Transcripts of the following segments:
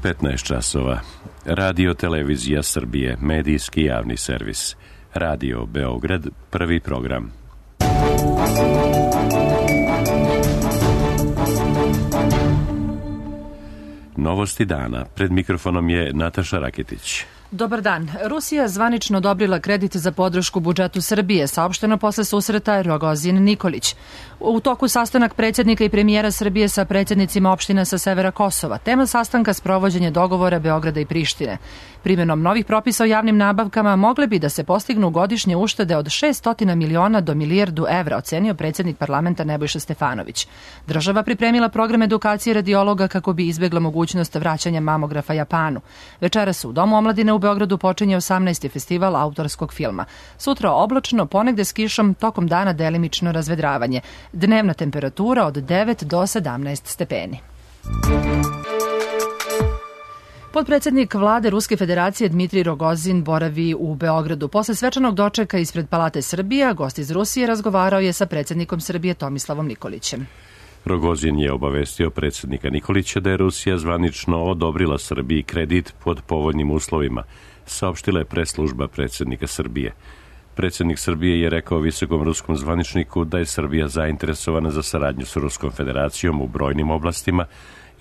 15 časova. Radio Televizija Srbije, medijski javni servis. Radio Beograd, prvi program. Novosti dana. Pred mikrofonom je Nataša Raketić. Dobar dan. Rusija zvanično odobrila kredit za podršku budžetu Srbije, saopšteno posle susreta Rogozin-Nikolić. U toku sastanak predsjednika i premijera Srbije sa predsjednicima opština sa severa Kosova. Tema sastanka sprovođenje dogovora Beograda i Prištine. Primjenom novih propisa o javnim nabavkama mogle bi da se postignu godišnje uštede od 600 miliona do milijardu evra, ocenio predsjednik parlamenta Nebojša Stefanović. Država pripremila program edukacije radiologa kako bi izbjegla mogućnost vraćanja mamografa Japanu. Večeras u Domu omladine u Beogradu počinje 18. festival autorskog filma. Sutra oblačno, ponegde s kišom, tokom dana delimično razvedravanje. Dnevna temperatura od 9 do 17 stepeni. Potpredsjednik vlade Ruske federacije Dmitrij Rogozin boravi u Beogradu. Posle svečanog dočeka ispred Palate Srbija, gost iz Rusije razgovarao je sa predsjednikom Srbije Tomislavom Nikolićem. Rogozin je obavestio predsjednika Nikolića da je Rusija zvanično odobrila Srbiji kredit pod povoljnim uslovima, saopštila je press-služba predsjednika Srbije. Predsjednik Srbije je rekao visokom ruskom zvaničniku da je Srbija zainteresovana za saradnju s Ruskom federacijom u brojnim oblastima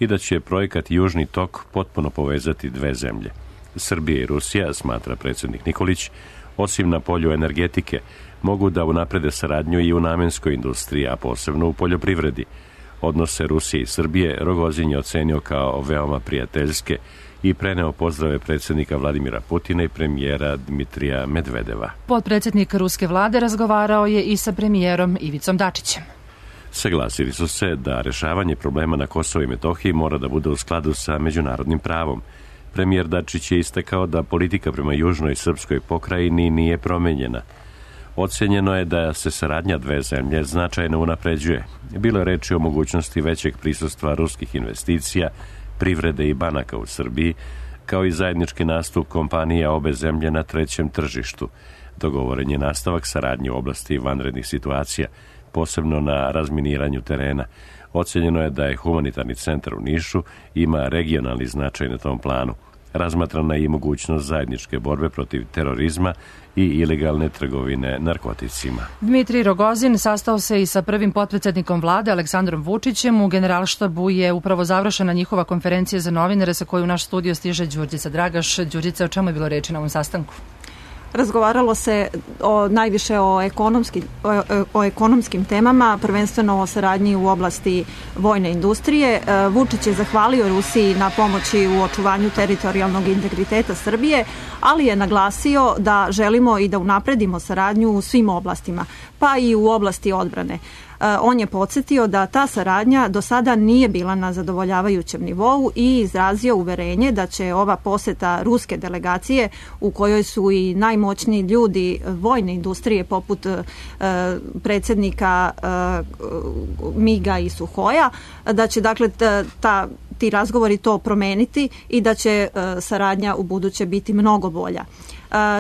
i da će projekat Južni tok potpuno povezati dve zemlje. Srbija i Rusija, smatra predsjednik Nikolić, osim na polju energetike, mogu da unaprede saradnju i u namenskoj industriji, a posebno u poljoprivredi. Odnose Rusije i Srbije Rogozin je ocenio kao veoma prijateljske i preneo pozdrave predsjednika Vladimira Putina i premijera Dmitrija Medvedeva. Potpredsjednik ruske vlade razgovarao je i sa premijerom Ivicom Dačićem. Saglasili su se da rešavanje problema na Kosovu i Metohiji mora da bude u skladu sa međunarodnim pravom. Premijer Dačić je istakao da politika prema južnoj srpskoj pokrajini nije promenjena. Ocenjeno je da se saradnja dve zemlje značajno unapređuje. Bilo je reči o mogućnosti većeg prisustva ruskih investicija, privrede i banaka u Srbiji, kao i zajednički nastup kompanija obe zemlje na trećem tržištu. Dogovoren je nastavak saradnje u oblasti vanrednih situacija, posebno na razminiranju terena. Ocenjeno je da je humanitarni centar u Nišu ima regionalni značaj na tom planu. Razmatrana je i mogućnost zajedničke borbe protiv terorizma i ilegalne trgovine narkoticima. Dmitrij Rogozin sastao se i sa prvim potpredsjednikom vlade Aleksandrom Vučićem. U Generalštabu je upravo završena njihova konferencija za novinare sa koju u naš studio stiže Đurđica Dragaš. Đurđica, o čemu je bilo reči na ovom sastanku? Razgovaralo se najviše o ekonomskim temama, prvenstveno o saradnji u oblasti vojne industrije. Vučić je zahvalio Rusiji na pomoći u očuvanju teritorijalnog integriteta Srbije, ali je naglasio da želimo i da unapredimo saradnju u svim oblastima, pa i u oblasti odbrane. On je podsjetio da ta saradnja do sada nije bila na zadovoljavajućem nivou i izrazio uverenje da će ova poseta ruske delegacije, u kojoj su i najmoćniji ljudi vojne industrije poput predsjednika MIG-a i Suhoja, da će dakle ti razgovori to promeniti i da će saradnja u buduće biti mnogo bolja.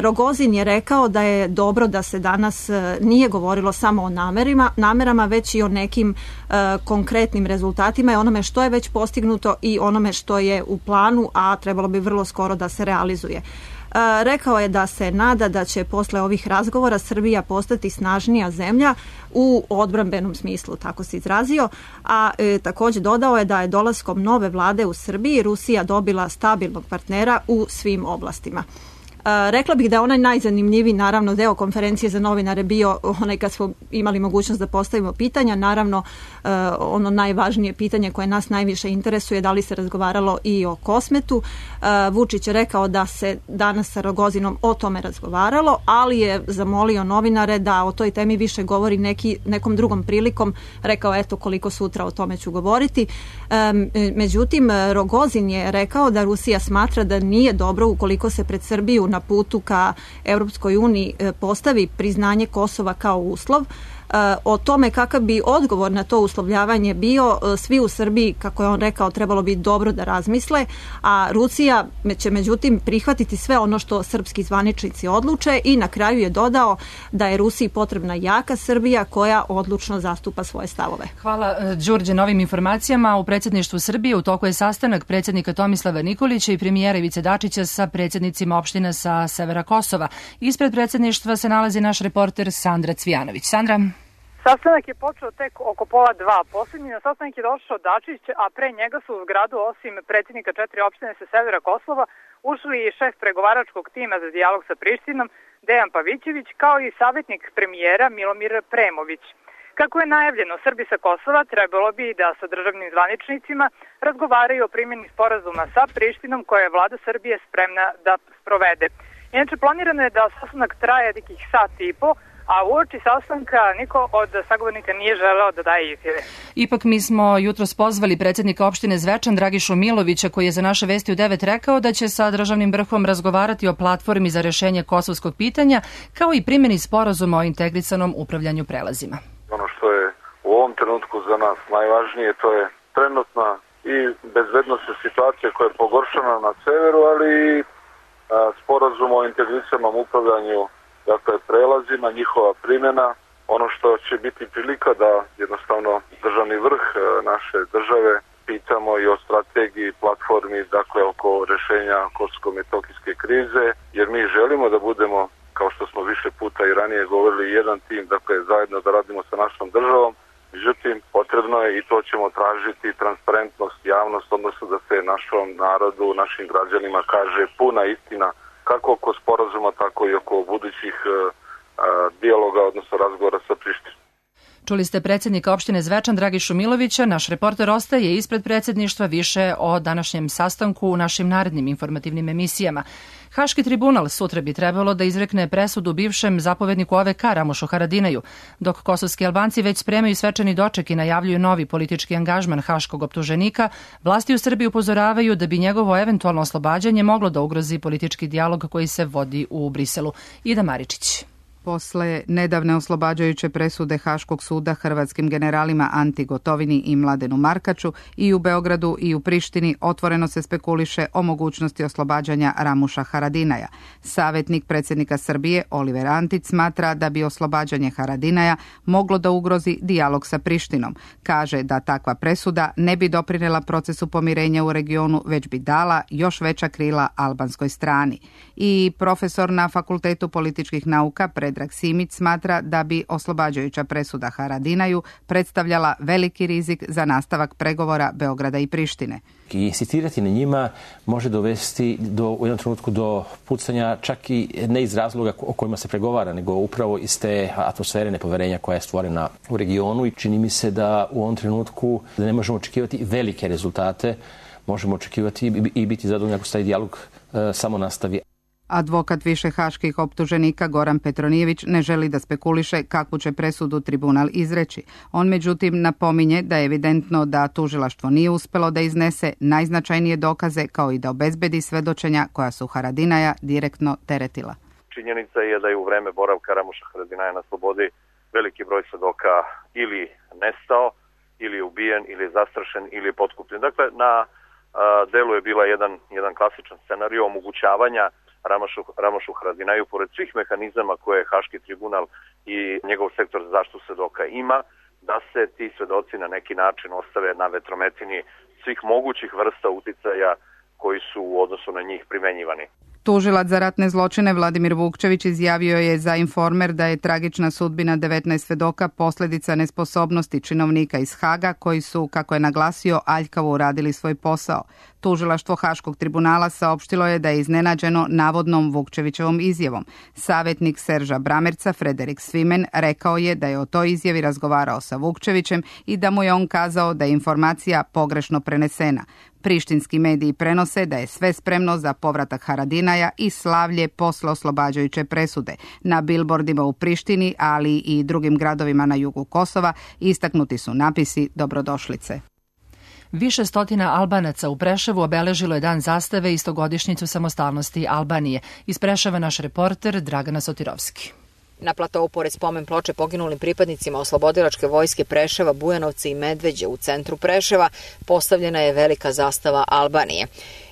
Rogozin je rekao da je dobro da se danas nije govorilo samo o namerama, već i o nekim konkretnim rezultatima i onome što je već postignuto i onome što je u planu, a trebalo bi vrlo skoro da se realizuje. Rekao je da se nada da će posle ovih razgovora Srbija postati snažnija zemlja u odbrambenom smislu, tako se izrazio, a također dodao je da je dolaskom nove vlade u Srbiji Rusija dobila stabilnog partnera u svim oblastima. Rekla bih da je onaj najzanimljiviji, naravno, deo konferencije za novinare bio onaj kad smo imali mogućnost da postavimo pitanja. Naravno, ono najvažnije pitanje koje nas najviše interesuje, da li se razgovaralo i o Kosmetu. Vučić je rekao da se danas sa Rogozinom o tome razgovaralo, ali je zamolio novinare da o toj temi više govori nekom drugom prilikom. Rekao, eto, koliko sutra o tome ću govoriti. Međutim, Rogozin je rekao da Rusija smatra da nije dobro ukoliko se pred Srbiju na putu ka Europskoj uniji postavi priznanje Kosova kao uslov. O tome kakav bi odgovor na to uslovljavanje bio, svi u Srbiji, kako je on rekao, trebalo bi dobro da razmisle, a Rusija će međutim prihvatiti sve ono što srpski zvaničnici odluče i na kraju je dodao da je Rusiji potrebna jaka Srbija koja odlučno zastupa svoje stavove. Hvala Đurđe na ovim informacijama. U predsjedništvu Srbije u toku je sastanak predsjednika Tomislava Nikolića i premijera Ivice Dačića sa predsjednicima opština sa severa Kosova. Ispred predsjedništva se nalazi naš reporter Sandra Cvijanović. Sandra. Sastanak je počeo tek oko 1:30. Poslednji na sastanak je došao Dačić, a pre njega su u zgradu osim predsjednika 4 opštine sa severa Kosova ušli i šef pregovaračkog tima za dijalog sa Prištinom Dejan Pavićević, kao i savjetnik premijera Milomir Premović. Kako je najavljeno, Srbi sa Kosova trebalo bi da sa državnim zvaničnicima razgovaraju o primjeni sporazuma sa Prištinom koje je vlada Srbije spremna da sprovede. Inače, planirano je da sastanak traje nekih sat i po, a uoči sastanka niko od sagovornika nije želeo da daje izjave. Ipak mi smo jutros pozvali predsjednika opštine Zvečan Dragišu Milovića, koji je za naše vesti u 9 rekao da će sa državnim vrhom razgovarati o platformi za rešenje kosovskog pitanja, kao i primjeni sporazuma o integrisanom upravljanju prelazima. Ono što je u ovom trenutku za nas najvažnije, to je trenutna i bezbednostna situacija koja je pogoršana na severu, ali i sporazum o integrisanom upravljanju, dakle prelazima, njihova primjena. Ono što će biti prilika da jednostavno državni vrh naše države pitamo i o strategiji, platformi, dakle oko rešenja kosovsko-metohijske krize, jer mi želimo da budemo, kao što smo više puta i ranije govorili, jedan tim, dakle zajedno da radimo sa našom državom. Međutim, potrebno je, i to ćemo tražiti, transparentnost, javnost, odnosno da se našom narodu, našim građanima kaže puna istina, kako oko sporazuma, tako i oko budućih dijaloga, odnosno razgovora sa Prištinom. Čuli ste predsjednika opštine Zvečan Dragišu Milovića. Naš reporter ostaje ispred predsjedništva. Više o današnjem sastanku u našim narednim informativnim emisijama. Haški tribunal sutra bi trebalo da izrekne presudu bivšem zapovedniku OVK Ramušu Haradinaju, dok kosovski Albanci već spremaju svečani doček i najavljuju novi politički angažman haškog optuženika. Vlasti u Srbiji upozoravaju da bi njegovo eventualno oslobađanje moglo da ugrozi politički dijalog koji se vodi u Briselu. Ida Maričić. Posle nedavne oslobađajuće presude Haškog suda hrvatskim generalima Anti Gotovini i Mladenu Markaču i u Beogradu i u Prištini otvoreno se spekuliše o mogućnosti oslobađanja Ramuša Haradinaja. Savjetnik predsjednika Srbije Oliver Antić smatra da bi oslobađanje Haradinaja moglo da ugrozi dijalog sa Prištinom. Kaže da takva presuda ne bi doprinela procesu pomirenja u regionu, već bi dala još veća krila albanskoj strani. I profesor na Fakultetu političkih nauka Predrag Simić smatra da bi oslobađajuća presuda Haradinaju predstavljala veliki rizik za nastavak pregovora Beograda i Prištine. I insistirati na njima može dovesti u jednom trenutku do pucanja, čak i ne iz razloga o kojima se pregovara, nego upravo iz te atmosfere nepoverenja koja je stvorena u regionu, i čini mi se da u ovom trenutku da ne možemo očekivati velike rezultate, možemo očekivati i biti zadovoljni ako se taj dijalog samo nastavi. Advokat više haških optuženika Goran Petronijević ne želi da spekuliše kakvu će presudu tribunal izreći. On međutim napominje da je evidentno da tužilaštvo nije uspelo da iznese najznačajnije dokaze, kao i da obezbedi svedočenja koja su Haradinaja direktno teretila. Činjenica je da je u vreme boravka Ramuša Haradinaja na slobodi veliki broj svedoka ili nestao, ili je ubijen, ili je zastrašen, ili je potkupljen. Dakle, na delu je bila jedan klasičan scenario omogućavanja Ramušu Haradinaju, pored svih mehanizama koje Haški tribunal i njegov sektor za zaštitu svedoka ima, da se ti svedoci na neki način ostave na vetrometini svih mogućih vrsta uticaja koji su u odnosu na njih primenjivani. Tužilac za ratne zločine Vladimir Vukčević izjavio je za Informer da je tragična sudbina 19 svedoka posljedica nesposobnosti činovnika iz Haga koji su, kako je naglasio, aljkavo uradili svoj posao. Tužilaštvo Haškog tribunala saopštilo je da je iznenađeno navodnom Vukčevićevom izjavom. Savjetnik Serža Bramerca Frederik Svimen rekao je da je o toj izjavi razgovarao sa Vukčevićem i da mu je on kazao da je informacija pogrešno prenesena. Prištinski mediji prenose da je sve spremno za povratak Haradinaja i slavlje posle oslobađajuće presude. Na bilbordima u Prištini, ali i drugim gradovima na jugu Kosova istaknuti su napisi dobrodošlice. Više stotina Albanaca u Preševu obeležilo je dan zastave i 100-godišnjicu samostalnosti Albanije. Iz Preševa naš reporter Dragana Sotirovski. Na platovu pored spomen ploče poginulim pripadnicima oslobodilačke vojske Preševa, Bujanovca i Medveđe u centru Preševa postavljena je velika zastava Albanije.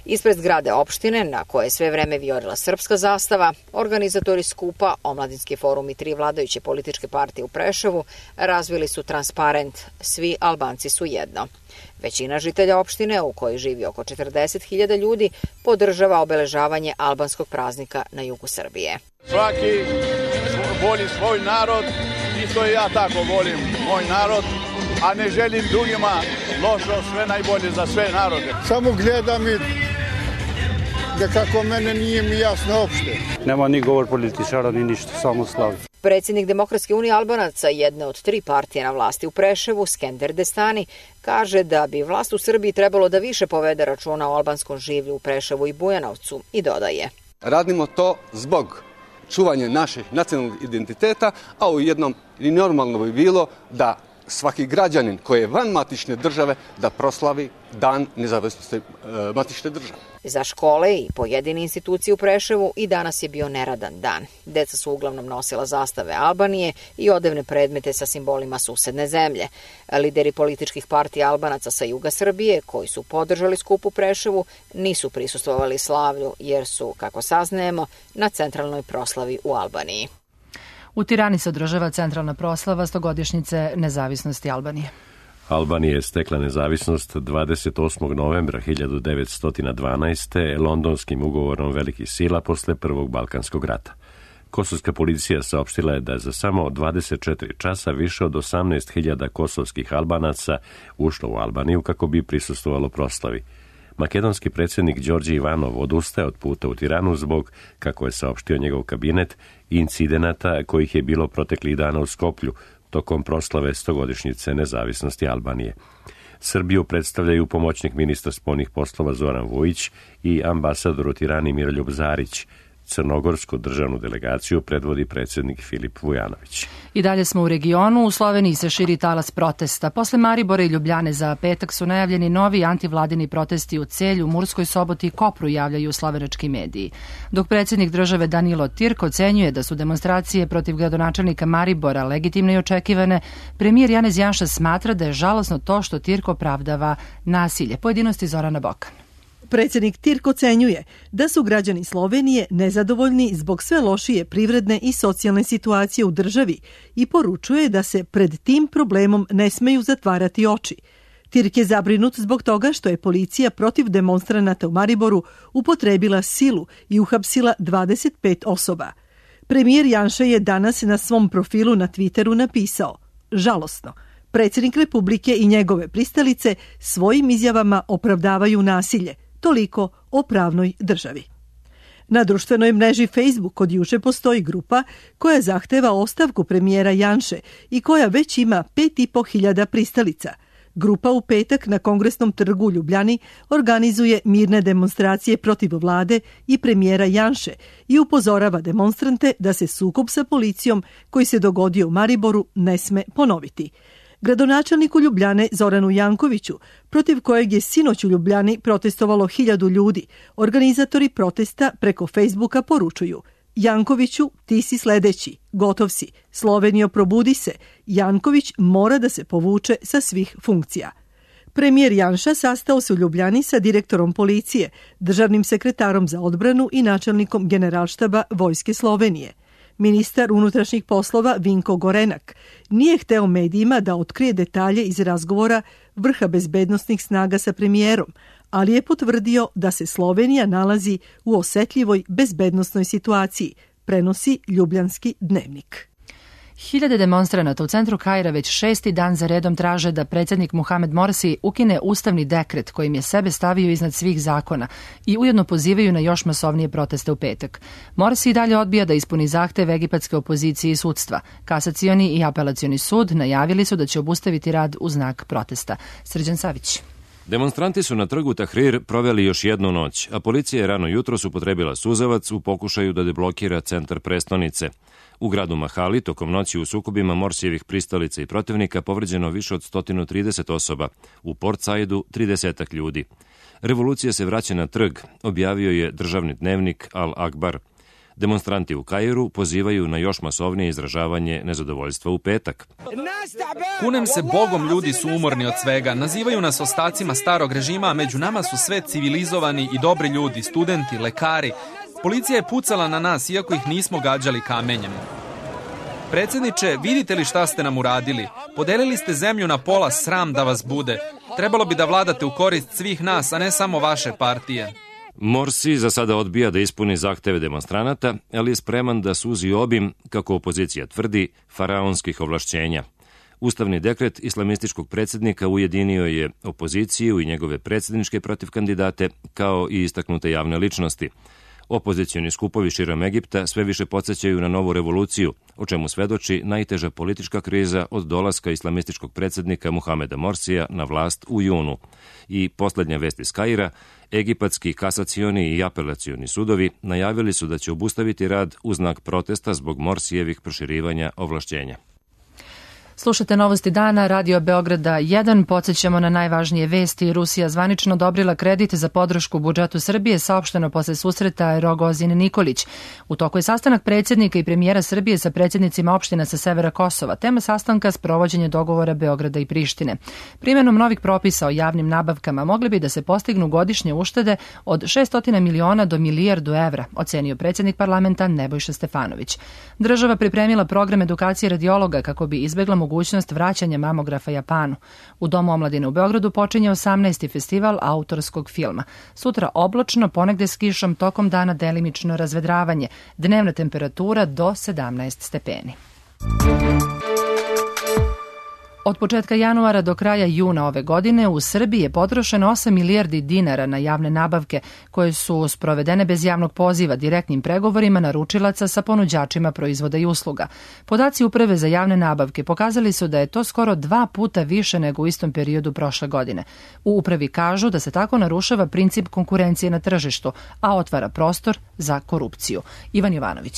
Ispred zgrade opštine, na koje je sve vreme vijorila srpska zastava, organizatori skupa, Omladinski forum i 3 vladajuće političke partije u Preševu razvili su transparent "Svi Albanci su jedno". Većina žitelja opštine, u kojoj živi oko 40.000 ljudi, podržava obeležavanje albanskog praznika na jugu Srbije. Svaki voli svoj narod, isto i ja tako volim moj narod, a ne želim drugima lošo, sve najbolje za sve narode. Samo gledam i da kako mene nije mi jasno uopšte. Nema ni govor političara ni ništa, samo slavi. Predsjednik Demokratske unije Albanaca, jedne od 3 partije na vlasti u Preševu, Skender Destani, kaže da bi vlast u Srbiji trebalo da više povede računa o albanskom življu u Preševu i Bujanovcu i dodaje: radimo to zbog čuvanja naših nacionalnog identiteta, a u jednom i normalno bi bilo da svaki građanin koji je van matične države da proslavi dan nezavisnosti matične države. Za škole i pojedine institucije u Preševu i danas je bio neradan dan. Deca su uglavnom nosila zastave Albanije i odevne predmete sa simbolima susedne zemlje. Lideri političkih partija Albanaca sa juga Srbije, koji su podržali skup u Preševu, nisu prisustvovali slavlju jer su, kako saznajemo, na centralnoj proslavi u Albaniji. U Tirani se održava centralna proslava 100-godišnjice nezavisnosti Albanije. Albanija je stekla nezavisnost 28. novembra 1912. londonskim ugovorom velikih sila posle Prvog Balkanskog rata. Kosovska policija saopštila je da za samo 24 časa više od 18.000 kosovskih Albanaca ušlo u Albaniju kako bi prisustvovalo proslavi. Makedonski predsjednik Đorđe Ivanov odustaje od puta u Tiranu zbog, kako je saopštio njegov kabinet, incidenata kojih je bilo proteklih dana u Skoplju tokom proslave 100-godišnjice nezavisnosti Albanije. Srbiju predstavljaju pomoćnik ministra spoljnih poslova Zoran Vujić i ambasador u Tirani Miroljub Zarić. Crnogorsku državnu delegaciju predvodi predsjednik Filip Vujanović. I dalje smo u regionu. U Sloveniji se širi talas protesta. Posle Maribora i Ljubljane za petak su najavljeni novi antivladini protesti u Celju, Murskoj Soboti i Kopru, javljaju slovenački mediji. Dok predsjednik države Danilo Tirk ocenjuje da su demonstracije protiv gradonačelnika Maribora legitimne i očekivane, premijer Janez Janša smatra da je žalosno to što Tirk opravdava nasilje. Pojedinosti Zorana Bokan. Predsjednik Tirk ocenjuje da su građani Slovenije nezadovoljni zbog sve lošije privredne i socijalne situacije u državi i poručuje da se pred tim problemom ne smeju zatvarati oči. Tirk je zabrinut zbog toga što je policija protiv demonstranata u Mariboru upotrebila silu i uhapsila 25 osoba. Premijer Janša je danas na svom profilu na Twitteru napisao: žalosno, predsjednik Republike i njegove pristalice svojim izjavama opravdavaju nasilje. Toliko o pravnoj državi. Na društvenoj mreži Facebook od juče postoji grupa koja zahteva ostavku premijera Janše i koja već ima 5.500 pristalica. Grupa u petak na Kongresnom trgu u Ljubljani organizuje mirne demonstracije protiv vlade i premijera Janše i upozorava demonstrante da se sukob sa policijom koji se dogodio u Mariboru ne sme ponoviti. Gradonačelniku Ljubljane Zoranu Jankoviću, protiv kojeg je sinoć u Ljubljani protestovalo 1000 ljudi, organizatori protesta preko Facebooka poručuju: Jankoviću, ti si sledeći, gotov si, Slovenijo, probudi se, Janković mora da se povuče sa svih funkcija. Premijer Janša sastao se u Ljubljani sa direktorom policije, državnim sekretarom za odbranu i načelnikom generalštaba Vojske Slovenije. Ministar unutrašnjih poslova Vinko Gorenak nije hteo medijima da otkrije detalje iz razgovora vrha bezbednostnih snaga sa premijerom, ali je potvrdio da se Slovenija nalazi u osetljivoj bezbednosnoj situaciji, prenosi Ljubljanski dnevnik. Hiljade demonstranata u centru Kaira već 6. dan za redom traže da predsjednik Mohamed Morsi ukine ustavni dekret kojim je sebe stavio iznad svih zakona i ujedno pozivaju na još masovnije proteste u petak. Morsi i dalje odbija da ispuni zahtev egipatske opozicije i sudstva. Kasacioni i apelacioni sud najavili su da će obustaviti rad u znak protesta. Srđan Savić. Demonstranti su na trgu Tahrir proveli još jednu noć, a policija je rano jutros upotrebila suzavac u pokušaju da deblokira centar prestonice. U gradu Mahali tokom noći u sukobima Morsijevih pristalica i protivnika povređeno više od 130 osoba, u Port Saidu 30 ljudi. Revolucija se vraća na trg, objavio je državni dnevnik Al Akbar. Demonstranti u Kairu pozivaju na još masovnije izražavanje nezadovoljstva u petak. Kunem se Bogom, ljudi su umorni od svega. Nazivaju nas ostacima starog režima, a među nama su sve civilizovani i dobri ljudi, studenti, lekari. Policija je pucala na nas, iako ih nismo gađali kamenjem. Predsjedniče, vidite li šta ste nam uradili? Podelili ste zemlju na pola, sram da vas bude. Trebalo bi da vladate u korist svih nas, a ne samo vaše partije. Morsi za sada odbija da ispuni zahteve demonstranata, ali je spreman da suzi obim, kako opozicija tvrdi, faraonskih ovlašćenja. Ustavni dekret islamističkog predsjednika ujedinio je opoziciju i njegove predsjedničke protivkandidate, kao i istaknute javne ličnosti. Opozicioni skupovi širom Egipta sve više podsjećaju na novu revoluciju, o čemu svedoči najteža politička kriza od dolaska islamističkog predsjednika Muhameda Morsija na vlast u junu. I posljednja vest iz Kaira, egipatski kasacioni i apelacioni sudovi najavili su da će obustaviti rad u znak protesta zbog Morsijevih proširivanja ovlašćenja. Slušate Novosti dana, Radio Beograda 1. Podsjećamo na najvažnije vesti. Rusija zvanično odobrila kredit za podršku budžetu Srbije, saopšteno posle susreta Rogozin Nikolić. U toku je sastanak predsjednika i premijera Srbije sa predsjednicima opština sa severa Kosova. Tema sastanka sprovođenje dogovora Beograda i Prištine. Primjenom novih propisa o javnim nabavkama mogli bi da se postignu godišnje uštede od 600 miliona do milijardu evra, ocenio predsjednik parlamenta Nebojša Stefanović. Država pripremila program edukacije radiologa kako bi izbegla mogućnost vraćanja mamografa Japanu. U Domu omladine u Beogradu počinje 18. festival autorskog filma. Sutra oblačno, ponegde s kišom, tokom dana delimično razvedravanje. Dnevna temperatura do 17 stepeni. Od početka januara do kraja juna ove godine u Srbiji je potrošeno 8 milijardi dinara na javne nabavke koje su sprovedene bez javnog poziva direktnim pregovorima naručilaca sa ponuđačima proizvoda i usluga. Podaci Uprave za javne nabavke pokazali su da je to skoro 2 puta više nego u istom periodu prošle godine. U Upravi kažu da se tako narušava princip konkurencije na tržištu, a otvara prostor za korupciju. Ivan Jovanović.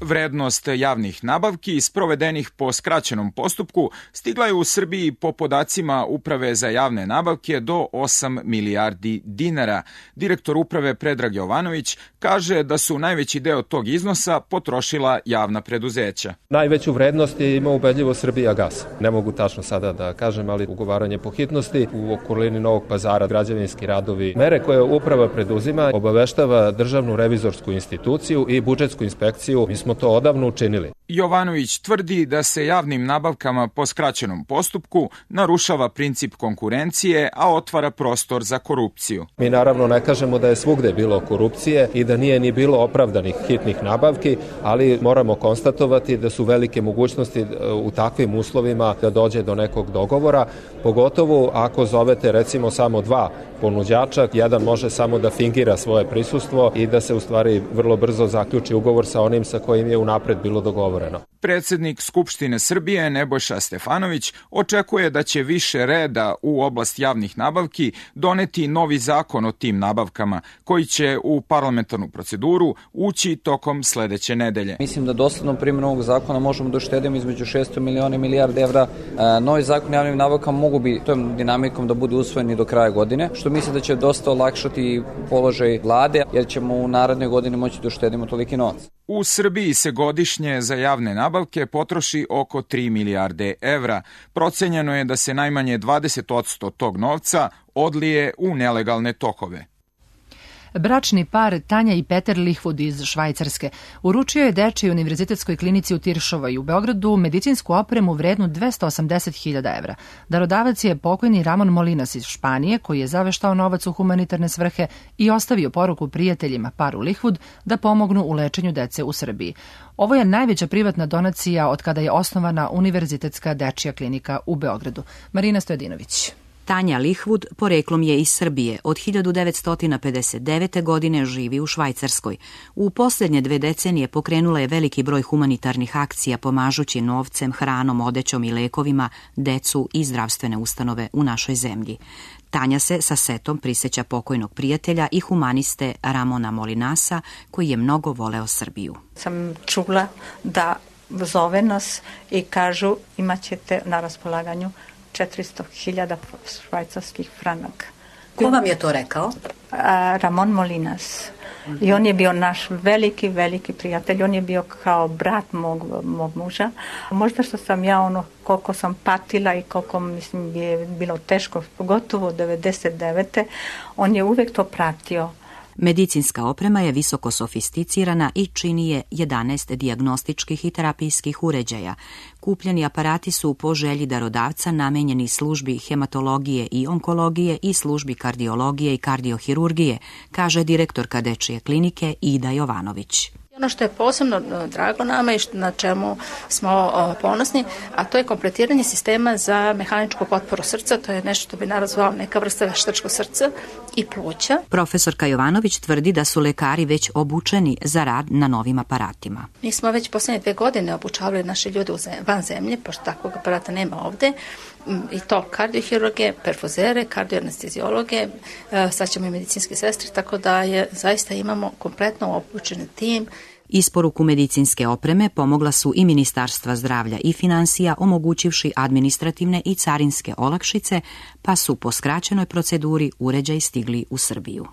Vrednost javnih nabavki sprovedenih po skraćenom postupku stigla je u Srbiji po podacima Uprave za javne nabavke do 8 milijardi dinara. Direktor Uprave Predrag Jovanović kaže da su najveći deo tog iznosa potrošila javna preduzeća. Najveću vrednost je imao ubedljivo Srbijagas. Ne mogu tačno sada da kažem, ali ugovaranje po hitnosti u okolini Novog Pazara, građevinski radovi. Mere koje Uprava preduzima obaveštava Državnu revizorsku instituciju i budžetsku inspekciju. Mi smo to odavno učinili. Jovanović tvrdi da se javnim nabavkama po skraćenom postupku narušava princip konkurencije, a otvara prostor za korupciju. Mi naravno ne kažemo da je svugde bilo korupcije i da nije ni bilo opravdanih hitnih nabavki, ali moramo konstatovati da su velike mogućnosti u takvim uslovima da dođe do nekog dogovora, pogotovo ako zovete recimo samo 2 ponuđača, jedan može samo da fingira svoje prisustvo i da se u stvari vrlo brzo zaključi ugovor sa onim sa kojim je unapred bilo dogovoreno. Predsjednik Skupštine Srbije Nebojša Stefanović očekuje da će više reda u oblast javnih nabavki doneti novi zakon o tim nabavkama, koji će u parlamentarnu proceduru ući tokom sledeće nedelje. Mislim da doslednom primjenom ovog zakona možemo da uštedimo između 600 miliona i milijarde evra. Novi zakon o javnim nabavkama mogu bi tom dinamikom da bude usvojen i do kraja godine, što mislim da će dosta olakšati položaj vlade, jer ćemo u narednoj godini moći da uštedimo toliki novac. U Srbiji se godišnje za javne nabavke potroši oko 3 milijarde evra. Procenjeno je da se najmanje 20% tog novca odlije u nelegalne tokove. Bračni par Tanja i Peter Lihvud iz Švajcarske uručio je Dečijoj univerzitetskoj klinici u Tiršovoj u Beogradu medicinsku opremu vrednu 280.000 evra. Darodavac je pokojni Ramon Molinas iz Španije, koji je zaveštao novac u humanitarne svrhe i ostavio poruku prijateljima paru Lihvud da pomognu u lečenju dece u Srbiji. Ovo je najveća privatna donacija od kada je osnovana Univerzitetska dečija klinika u Beogradu. Marina Stojadinović. Tanja Lihvud poreklom je iz Srbije. Od 1959. godine živi u Švajcarskoj. U posljednje 2 decenije pokrenula je veliki broj humanitarnih akcija pomažući novcem, hranom, odećom i lekovima decu i zdravstvene ustanove u našoj zemlji. Tanja se sa setom prisjeća pokojnog prijatelja i humaniste Ramona Molinasa, koji je mnogo voleo Srbiju. Sam čula da zove nas i kažu imat ćete na raspolaganju 400.000 švajcarskih franaka. Ko vam je to rekao? Ramon Molinas. I on je bio naš veliki, veliki prijatelj. On je bio kao brat mog muža. Možda što sam ja koliko sam patila i koliko mislim je bilo teško, pogotovo 99. On je uvek to pratio. Medicinska oprema je visoko sofisticirana i čini je 11 dijagnostičkih i terapijskih uređaja. Kupljeni aparati su po želji darodavca namenjeni službi hematologije i onkologije i službi kardiologije i kardiohirurgije, kaže direktorka dečije klinike Ida Jovanović. Ono što je posebno drago nama i na čemu smo ponosni, a to je kompletiranje sistema za mehaničku potporu srca, to je nešto što bi nazvao neka vrsta veštačkog srca i pluća. Profesorka Jovanović tvrdi da su lekari već obučeni za rad na novim aparatima. Mi smo već posljednje 2 godine obučavali naše ljude van zemlje, pošto takvog aparata nema ovde, i to kardiohirurge, perfuzere, kardioanestezijologe, sad ćemo i medicinske sestre, tako da zaista imamo kompletno obučen tim. Isporuku medicinske opreme pomogla su i Ministarstva zdravlja i finansija, omogućivši administrativne i carinske olakšice, pa su po skraćenoj proceduri uređaji stigli u Srbiju.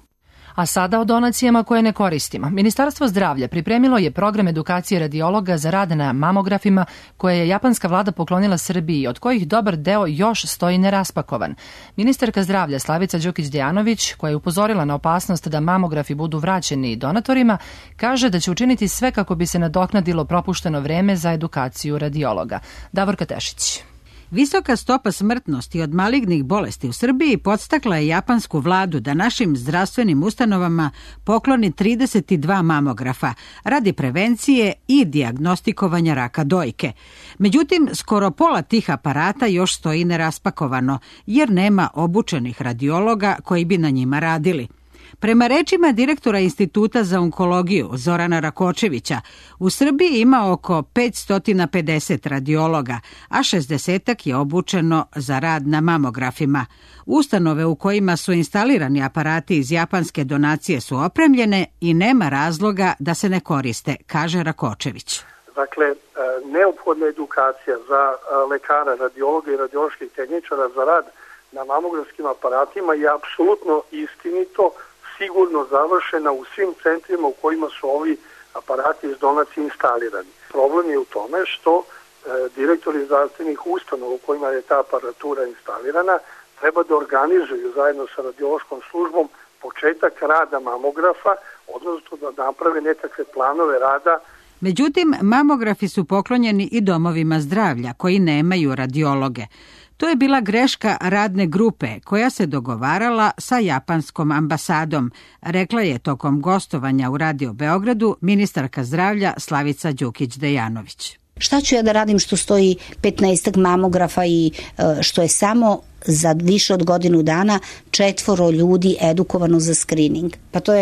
A sada o donacijama koje ne koristimo. Ministarstvo zdravlja pripremilo je program edukacije radiologa za rad na mamografima koje je japanska vlada poklonila Srbiji, od kojih dobar deo još stoji neraspakovan. Ministarka zdravlja Slavica Đukić-Dejanović, koja je upozorila na opasnost da mamografi budu vraćeni donatorima, kaže da će učiniti sve kako bi se nadoknadilo propušteno vreme za edukaciju radiologa. Davorka Tešić. Visoka stopa smrtnosti od malignih bolesti u Srbiji podstakla je japansku vladu da našim zdravstvenim ustanovama pokloni 32 mamografa radi prevencije i dijagnostikovanja raka dojke. Međutim, skoro pola tih aparata još stoji neraspakovano, jer nema obučenih radiologa koji bi na njima radili. Prema rečima direktora Instituta za onkologiju Zorana Rakočevića, u Srbiji ima oko 550 radiologa, a 60 je obučeno za rad na mamografima. Ustanove u kojima su instalirani aparati iz japanske donacije su opremljene i nema razloga da se ne koriste, kaže Rakočević. Dakle, neophodna edukacija za lekara, radiologa i radioloških tehničara za rad na mamografskim aparatima je apsolutno istinito, sigurno završena u svim centrima u kojima su ovi aparati iz donacije instalirani. Problem je u tome što direktori zdravstvenih ustanova u kojima je ta aparatura instalirana treba da organizuju zajedno sa radiološkom službom početak rada mamografa, odnosno da naprave nekakve planove rada. Međutim, mamografi su poklonjeni i domovima zdravlja koji nemaju radiologe. To je bila greška radne grupe koja se dogovarala sa japanskom ambasadom, rekla je tokom gostovanja u Radio Beogradu ministarka zdravlja Slavica Đukić-Dejanović. Šta ću ja da radim što stoji 15 mamografa i što je samo za više od godinu dana 4 ljudi edukovano za screening? Pa to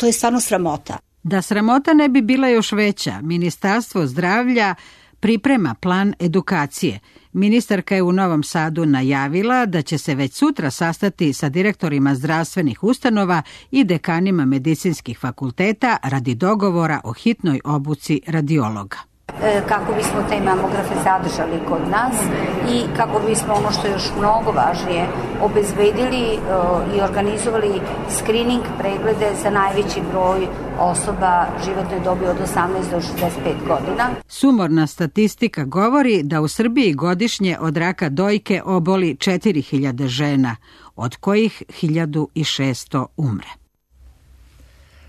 je stvarno sramota. Da sramota ne bi bila još veća, Ministarstvo zdravlja priprema plan edukacije. Ministarka je u Novom Sadu najavila da će se već sutra sastati sa direktorima zdravstvenih ustanova i dekanima medicinskih fakulteta radi dogovora o hitnoj obuci radiologa. Kako bismo te mamografe zadržali kod nas i kako bismo ono što je još mnogo važnije obezbedili i organizovali screening preglede za najveći broj osoba životne dobi od 18 do 65 godina. Sumorna statistika govori da u Srbiji godišnje od raka dojke oboli 4000 žena, od kojih 1600 umre.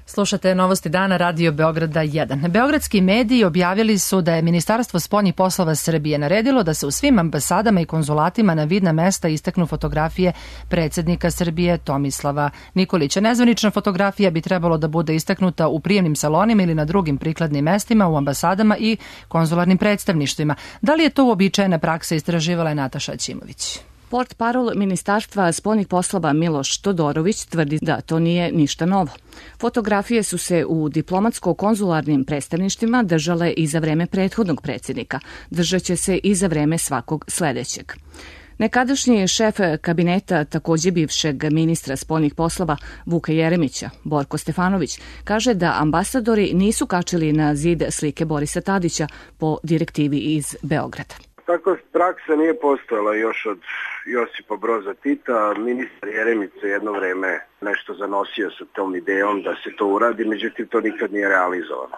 Slušate Novosti dana Radio Beograda 1. Beogradski mediji objavili su da je Ministarstvo spoljnih poslova Srbije naredilo da se u svim ambasadama i konzulatima na vidna mesta istaknu fotografije predsjednika Srbije Tomislava Nikolića. Nezvanična fotografija bi trebalo da bude istaknuta u prijemnim salonima ili na drugim prikladnim mestima u ambasadama i konzularnim predstavništvima. Da li je to uobičajena praksa, istraživala je Nataša Ćimović. Portparol Ministarstva spoljnih poslova Miloš Todorović tvrdi da to nije ništa novo. Fotografije su se u diplomatsko-konzularnim predstavništvima držale i za vreme prethodnog predsjednika. Držaće se i za vreme svakog sledećeg. Nekadašnji šef kabineta također bivšeg ministra spoljnih poslova Vuka Jeremića, Borko Stefanović, kaže da ambasadori nisu kačili na zid slike Borisa Tadića po direktivi iz Beograda. Takva praksa nije postojala još od Josipa Broza Tita. Ministar Jeremić je jedno vreme nešto zanosio sa tom idejom da se to uradi, međutim to nikad nije realizovano.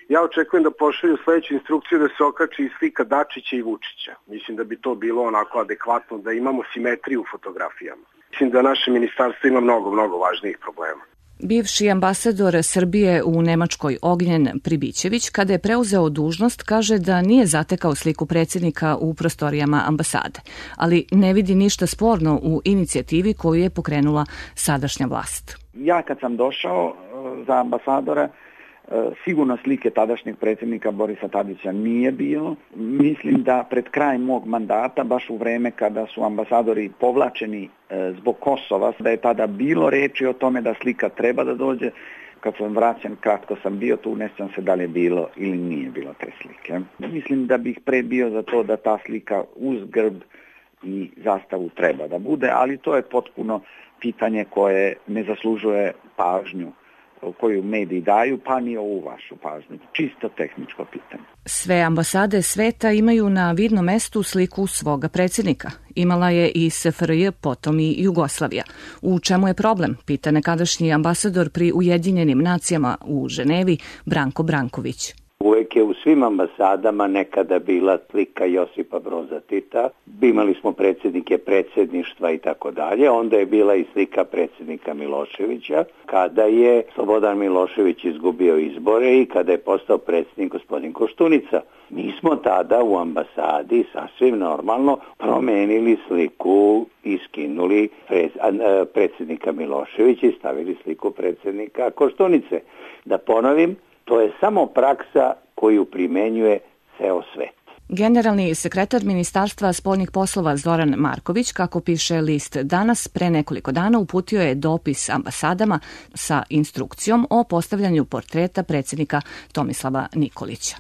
Ja očekujem da pošalju sledeću instrukciju da se okači slika Dačića i Vučića. Mislim da bi to bilo onako adekvatno, da imamo simetriju u fotografijama. Mislim da naše ministarstvo ima mnogo važnijih problema. Bivši ambasador Srbije u Nemačkoj Ognjen Pribićević, kada je preuzeo dužnost, kaže da nije zatekao sliku predsjednika u prostorijama ambasade, ali ne vidi ništa sporno u inicijativi koju je pokrenula sadašnja vlast. Ja kad sam došao za ambasadora, sigurno slike tadašnjeg predsjednika Borisa Tadića nije bilo. Mislim da pred kraj mog mandata, baš u vreme kada su ambasadori povlačeni zbog Kosova, da je tada bilo reči o tome da slika treba da dođe. Kad sam vraćan, kratko sam bio tu, ne sjećam se da li je bilo ili nije bilo te slike. Mislim da bih pre bio za to da ta slika uz grb i zastavu treba da bude, ali to je potpuno pitanje koje ne zaslužuje pažnju koju mediji daju, pa ni ovu vašu pažnju. Čisto tehničko pitanje. Sve ambasade sveta imaju na vidnom mestu sliku svoga predsjednika. Imala je i SFRJ, potom i Jugoslavija. U čemu je problem, pita nekadašnji ambasador pri Ujedinjenim nacijama u Ženevi, Branko Branković. Uvijek je u svim ambasadama nekada bila slika Josipa Broza Tita. Imali smo predsjednike predsjedništva i tako dalje. Onda je bila i slika predsjednika Miloševića kada je Slobodan Milošević izgubio izbore i kada je postao predsjednik gospodin Koštunica. Mi smo tada u ambasadi sasvim normalno promenili sliku i skinuli predsjednika Miloševića i stavili sliku predsjednika Koštunice. Da ponovim, to je samo praksa koju primenjuje ceo svet. Generalni sekretar Ministarstva spoljnih poslova Zoran Marković, kako piše list Danas, pre nekoliko dana uputio je dopis ambasadama sa instrukcijom o postavljanju portreta predsjednika Tomislava Nikolića.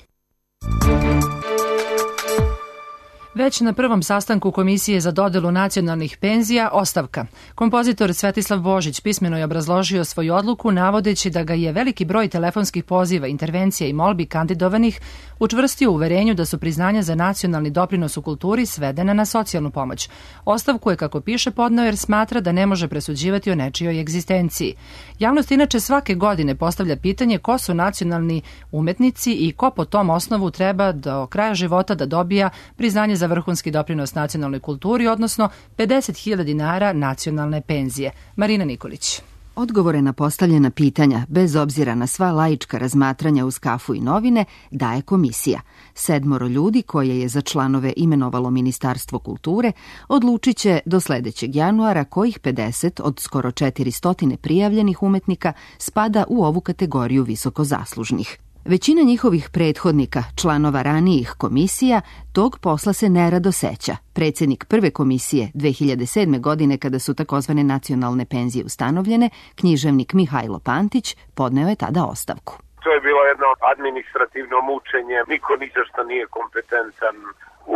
Već na prvom sastanku Komisije za dodelu nacionalnih penzija ostavka. Kompozitor Svetislav Božić pismeno je obrazložio svoju odluku navodeći da ga je veliki broj telefonskih poziva, intervencija i molbi kandidovanih učvrstio u uverenju da su priznanja za nacionalni doprinos u kulturi svedena na socijalnu pomoć. Ostavku je, kako piše, podneo jer smatra da ne može presuđivati o nečijoj egzistenciji. Javnost inače svake godine postavlja pitanje ko su nacionalni umetnici i ko po tom osnovu treba do kraja života da dobija priznanje za vrhunski doprinos nacionalnoj kulturi, odnosno 50.000 dinara nacionalne penzije. Marina Nikolić. Odgovore na postavljena pitanja, bez obzira na sva laička razmatranja uz kafu i novine, daje komisija. 7 ljudi koje je za članove imenovalo Ministarstvo kulture odlučit će do sledećeg januara kojih 50 od skoro 400 prijavljenih umetnika spada u ovu kategoriju visokozaslužnih. Većina njihovih prethodnika, članova ranijih komisija, tog posla se nerado seća. Predsjednik prve komisije 2007. godine, kada su takozvane nacionalne penzije ustanovljene, književnik Mihajlo Pantić, podneo je tada ostavku. To je bilo jedno administrativno mučenje, niko ni za što nije kompetentan.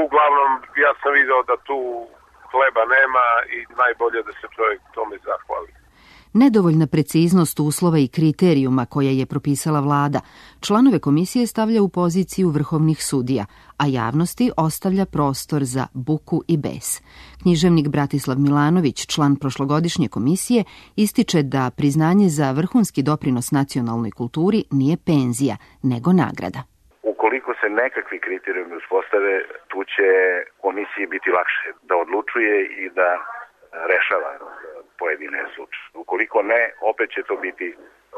Uglavnom, ja sam video da tu hleba nema i najbolje da se čovjek tome zahvali. Nedovoljna preciznost uslova i kriterijuma koje je propisala vlada članove komisije stavlja u poziciju vrhovnih sudija, a javnosti ostavlja prostor za buku i bes. Književnik Bratislav Milanović, član prošlogodišnje komisije, ističe da priznanje za vrhunski doprinos nacionalnoj kulturi nije penzija, nego nagrada. Ukoliko se nekakvi kriterijumi uspostave, tu će komisiji biti lakše da odlučuje i da rešava pojedine slučaje. Ukoliko ne, opet će to biti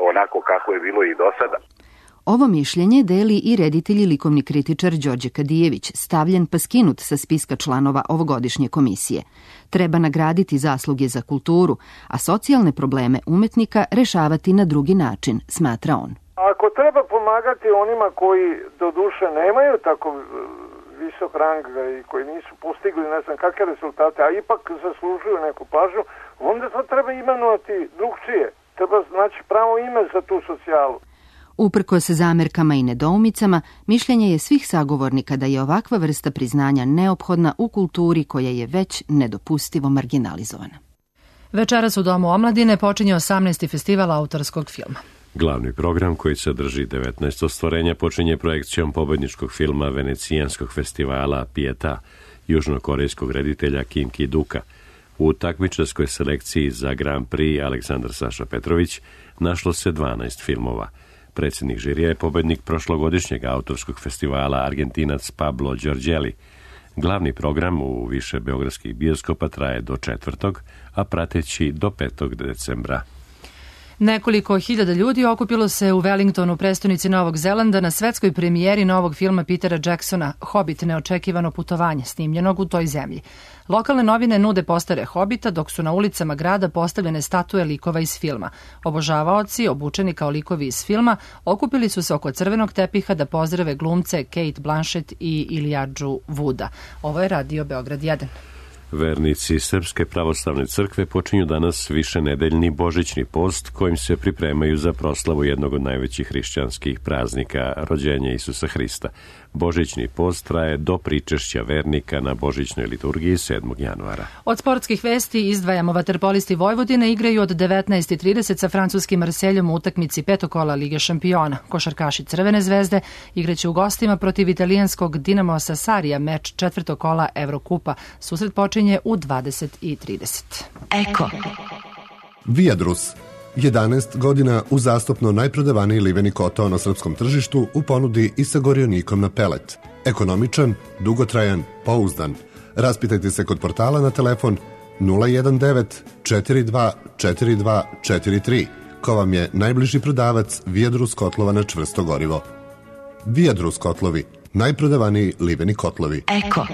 onako kako je bilo i do sada. Ovo mišljenje deli i reditelj i likovni kritičar Đorđe Kadijević, stavljen pa skinut sa spiska članova ovogodišnje komisije. Treba nagraditi zasluge za kulturu, a socijalne probleme umetnika rešavati na drugi način, smatra on. Ako treba pomagati onima koji do duše nemaju tako visok rang i koji nisu postigli ne znam kakve rezultate, a ipak zaslužuju neku pažnju, onda to treba imenovati drugčije. Treba znači pravo ime za tu socijalu. Uprkos zamerkama i nedoumicama, mišljenje je svih sagovornika da je ovakva vrsta priznanja neophodna u kulturi koja je već nedopustivo marginalizovana. Večeras u Domu omladine počinje 18. festival autorskog filma. Glavni program, koji sadrži 19 ostvarenja, počinje projekcijom pobedničkog filma Venecijanskog festivala Pieta, južnokorejskog reditelja Kim Ki-duka. U takmičarskoj selekciji za Grand Prix Aleksandar Saša Petrović našlo se 12 filmova. Predsjednik žirija je pobednik prošlogodišnjeg autorskog festivala Argentinac Pablo Giorgelli. Glavni program u više beogradskih bioskopa traje do 4. a prateći do 5. decembra. Nekoliko hiljada ljudi okupilo se u Wellingtonu, prestonici Novog Zelanda, na svetskoj premijeri novog filma Petera Jacksona Hobbit, neočekivano putovanje, snimljenog u toj zemlji. Lokalne novine nude postere Hobita, dok su na ulicama grada postavljene statue likova iz filma. Obožavaoci, obučeni kao likovi iz filma, okupili su se oko crvenog tepiha da pozdrave glumce Kate Blanchett i Elijadžu Wooda. Ovo je Radio Beograd 1. Vernici Srpske pravoslavne crkve počinju danas višenedeljni božićni post kojim se pripremaju za proslavu jednog od najvećih hrišćanskih praznika, rođenja Isusa Hrista. Božićni post traje do pričešća vernika na božićnoj liturgiji 7. januara. Od sportskih vesti izdvajamo vaterpolisti Vojvodine igraju od 19:30 sa francuskim Marseljom u utakmici petokola Lige šampiona. Košarkaši Crvene zvezde igraće u gostima protiv italijanskog Dinamo Sassarija, meč četvrtog kola Evrokupa. Susret počinje u 20:30. Eko. Viadrus. 11 godina uzastopno najprodavaniji liveni kotao na srpskom tržištu u ponudi i sa gorionikom na pelet. Ekonomičan, dugotrajan, pouzdan. Raspitajte se kod portala na telefon 019 42 42 43, ko vam je najbliži prodavac Viadrus kotlova na čvrsto gorivo. Viadrus kotlovi, najprodavaniji liveni kotlovi. Eko.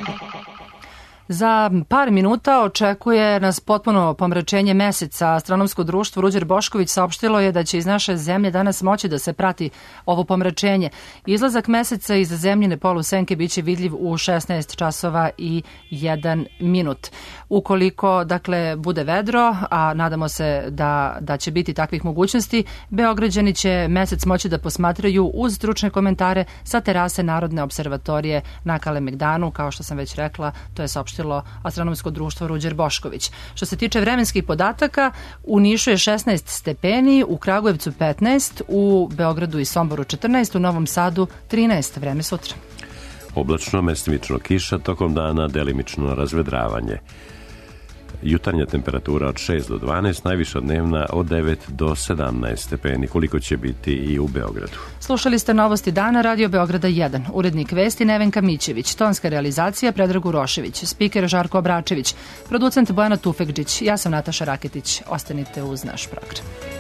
Za par minuta očekuje nas potpuno pomračenje meseca. Astronomsko društvo Ruđer Bošković saopštilo je da će iz naše zemlje danas moći da se prati ovo pomračenje. Izlazak meseca iz zemljine polusenke biće vidljiv u 16 časova i 1 minut. Ukoliko, dakle, bude vedro, a nadamo se da će biti takvih mogućnosti, Beograđani će mesec moći da posmatraju uz stručne komentare sa terase Narodne observatorije na Kalemegdanu, kao što sam već rekla, to je saopštilo Astronomsko društvo Ruđer Bošković. Što se tiče vremenskih podataka, u Nišu je 16 stepeni, u Kragujevcu 15, u Beogradu i Somboru 14, u Novom Sadu 13. Vreme sutra. Oblačno, mestimično kiša, tokom dana delimično razvedravanje. Jutarnja temperatura od 6 do 12, najviša dnevna od 9 do 17 stepeni, koliko će biti i u Beogradu. Slušali ste novosti dana Radio Beograda 1. Urednik vesti Nevenka Mićević, tonska realizacija Predrag Urošević, spiker Žarko Obračević, producent Bojana Tufekđić, ja sam Nataša Raketić. Ostanite uz naš program.